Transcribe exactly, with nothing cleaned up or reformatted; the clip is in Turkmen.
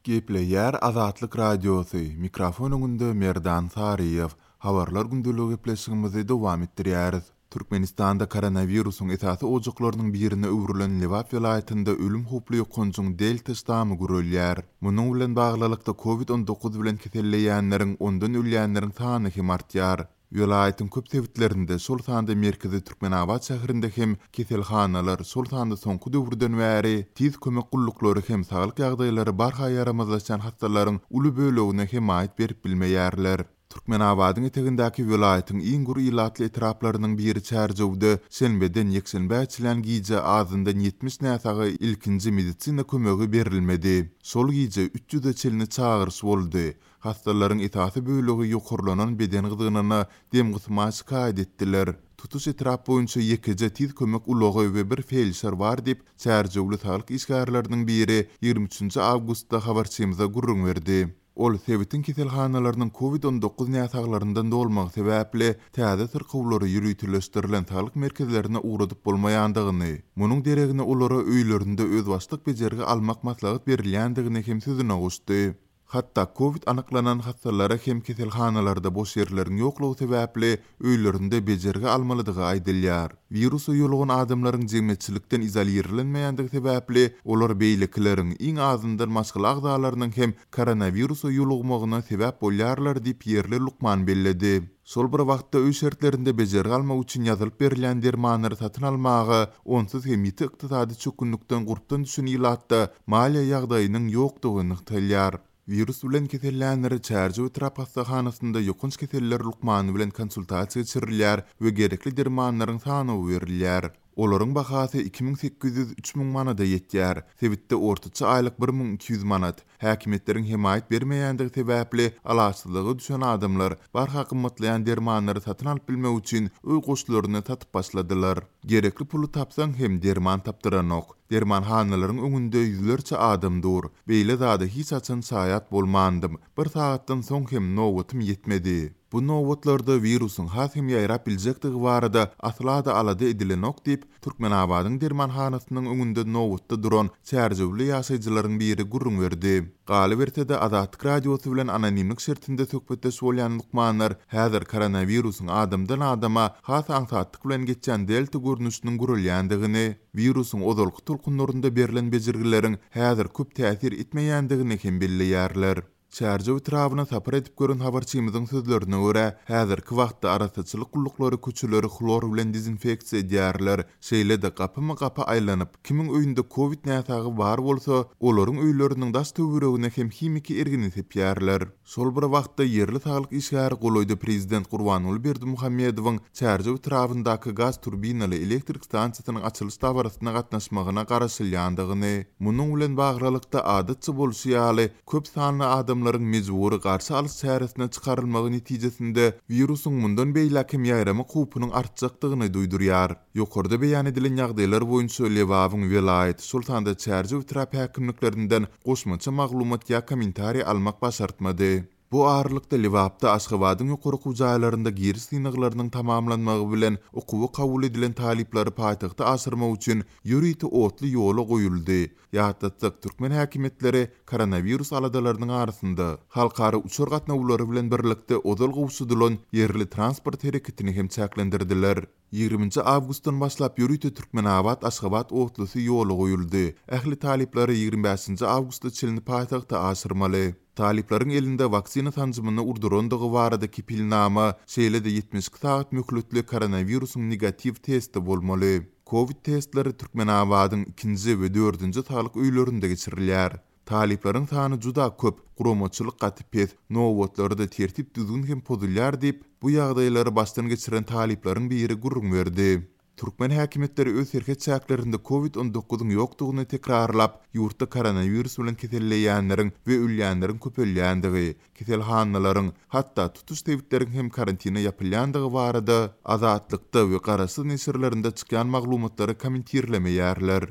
Gepleýär Azatlyk Radiosy, mikrofon öňünde Merdan Saryýew. Habarlar gündeligi gepleşigimizi dowam etdirýäris. Türkmenistanda koronawirusyň esasy ojaklarynyň birine öwrülen Lebap welaýatynda ölüm howply ýokanjyň Delta ştamy gürelýär. Munuň bilen baglylykda Covid on dokuz bilen keselleýänleriň, ondan ölýänleriň sany hem artýar. Welaýatyň köp sebitlerinde, şol sanda merkezi Türkmenabat şäherinde hem keselhanalar, şol sanda soňky döwürden bäri tiz kömek gulluklary hem saglyk ýagdaýlary barha ýaramazlaşýan hassalaryň uly bölegine hemaýat berip bilmeýärler. Türkmenabadyň etegindäki welaýatyň iň gür ilatly etraplarynyň biri Çärjewde şenbeden ýekşenbä çenli gije azyndan ýetmiş näsaga ilkinji medisina kömegi berilmedi. Şol gije üç ýüze çenli çagyryş boldy. Hassalaryň esasy bölegi ýokarlanan beden gyzgynyna dem gysma şikaýat etdiler. Tutuş etrap boýunça ýekeje tiz kömek ulagy we bir felşer bar diýip, Çärjewli saglyk işgärleriniň biri ýigrimi üçünji awgustda habarçymyza gürrüň berdi. Ol sebitiň keselhanalarynyň Covid on dokuz näsaglaryndan dolmagy sebäpli täze syrkawlary ýöriteleşdirilen saglyk merkezlerine ugradyp bolmaýandygyny, munuň deregine olara öýlerinde özbaşdak bejergi almak maslahat berilýändigini hem sözüne goşdy. Hatda Covid anyklanan hassalara hem keselhanalarda boş ýerleriň ýoklugy sebäpli öýlerinde bejergi almalydygy aýdylýar. Wirusa ýolugan adamlaryň jemgyýetçilikden izolirlenmeýändigi sebäpli olar beýlekileriň iň azyndan maşgala agzalarynyň hem koronawirusa ýolugmagyna sebäp bolýarlar diýip ýerli lukman belledi. Şol bir wagtda öý şertlerinde bejergi almak üçin ýazylyp berilýän dermanlary satyn almaga onsuz hem ýiti ykdysady çökgünlikden gurpdan düşen ilatda maliýe ýagdaýynyň ýokdugy nygtalýar. Wirus bilen kesellänleri Çärjew etrap hassahanasynda ýokanç keseller lukmany bilen konsultasiýa geçirilýär we gerekli dermanlaryň sanawy berilýär. Olaryň bahasy iki müň sekiz ýüz üç müň manada ýetýär. Sebitde ortaça aýlyk bir müň iki ýüz manat. Häkimiýetleriň hemaýat bermeýändigi sebäpli alaçsyzlyga düşen adamlar barha gymmatlaýan dermanlary satyn alyp bilmek üçin öý goşlaryny satyp başladylar. Gerekli puly tapsaň hem derman tapdyranok. Dermanhanalaryň öňünde ýüzlerçe adam dur. Beýle zada hiç haçan şaýat bolmandym. Bir sagatdan soň hem nobatym ýetmedi. Bu nobatlarda wirusyň has hem ýaýrap biljekdigi barada asla-da alada edilenok diýip, Türkmenabadyň dermanhanasynyň öňünde nobatda duran Çärjewli ýaşaýjylaryň biri gürrüň berdi. Galyberse-de Azatlyk Radiosy bilen anonimlik şertinde söhbetdeş bolýan lukmanlar häzir koronawirusyň adamdan adama has aňsatlyk bilen geçýän delta görnüşiniň gürelýändigini, wirusyň ozalky tolkunlarynda berlen bejergileriň häzir köp täsir etmeýändigini hem belleýärler. Çärjew etrabyna sapar edip gören habarçymyzyň sözlerine görä, häzirki wagtda arassaçylyk gulluklary köçeleri hlor bilen dezinfeksiýa edýärler. Şeýle-de gapymy gapy aýlanyp, kimiň öýünde Covid näsagy bar bolsa, olaryň öýleriniň daş töweregine hem himiki ergini sepýärler. Şol bir wagtda ýerli saglyk işgäri golaýda prezident Gurbanguly Berdimuhamedowyň Çärjew etrabyndaky gaz turbinaly elektrik stansiýasynyň açylyş dabarasyna gatnaşmagyna garaşylýandygyny, munuň bilen baglylykda adatça bolşy ýaly köp sanly adamlaryň mejbury garşy alyş çäresine çykarylmagy netijesinde wirusyň mundan beýläk hem ýaýramak howpunyň artjakdygyny duýdurýar. Ýokarda beýan edilen ýagdaýlar boýunça Lebabyň welaýat, şol sanda Çärjew etrap häkimliklerinden goşmaça maglumat ýa kommentariý almak başartmady. Bu aralykda Lebapda Aşgabadyň ýokary okuw jaýlarynda giriş synaglarynyň tamamlanmagy bilen okuwa kabul edilen talyplary paýtagta aşyrmak üçin ýörite otly ýola goýuldy. Ýatlatsak, türkmen häkimiýetleri koronawirus aladalarynyň arasynda halkara uçar gatnawlary bilen birlikde ozal gowşudylan ýerli transport hereketini hem çäklendirdiler. Ýigriminji awgustdan başlap ýörite Türkmenabat Aşgabat otlusy ýola goýuldy. Ähli talyplary ýigrimi bäşinji awgustda çenli paýtagta aşyrmaly. Talyplaryň elinde waksina sanjymyny urdurandygy barada kepilnama, şeýle-de ýetmiş iki sagat möhletli koronawirusyň negatiw testi bolmaly. Covid testleri Türkmenabadyň ikinji we dördünji saglyk öýlerinde geçirilýär. Talyplaryň sany juda köp, guramaçylyk gaty pes, nobatlarda tertip düzgün hem pozulýar diýip, bu ýagdaýlary başdan geçiren talyplaryň biri gürrüň berdi. Türkmen häkimiýetleri öz serhet çäklerinde Covid on dokuzyň ýokdugyny tekrarlap, ýurtda koronawirus bilen keselleýänleriň we ölýänleriň köpelýändigi, keselhanalaryň, hatda tutuş sebitleriň hem karantina ýapylýandygy barada Azatlykda we garaşsyz neşirlerinde çykýan maglumatlary kommentirlemeýärler.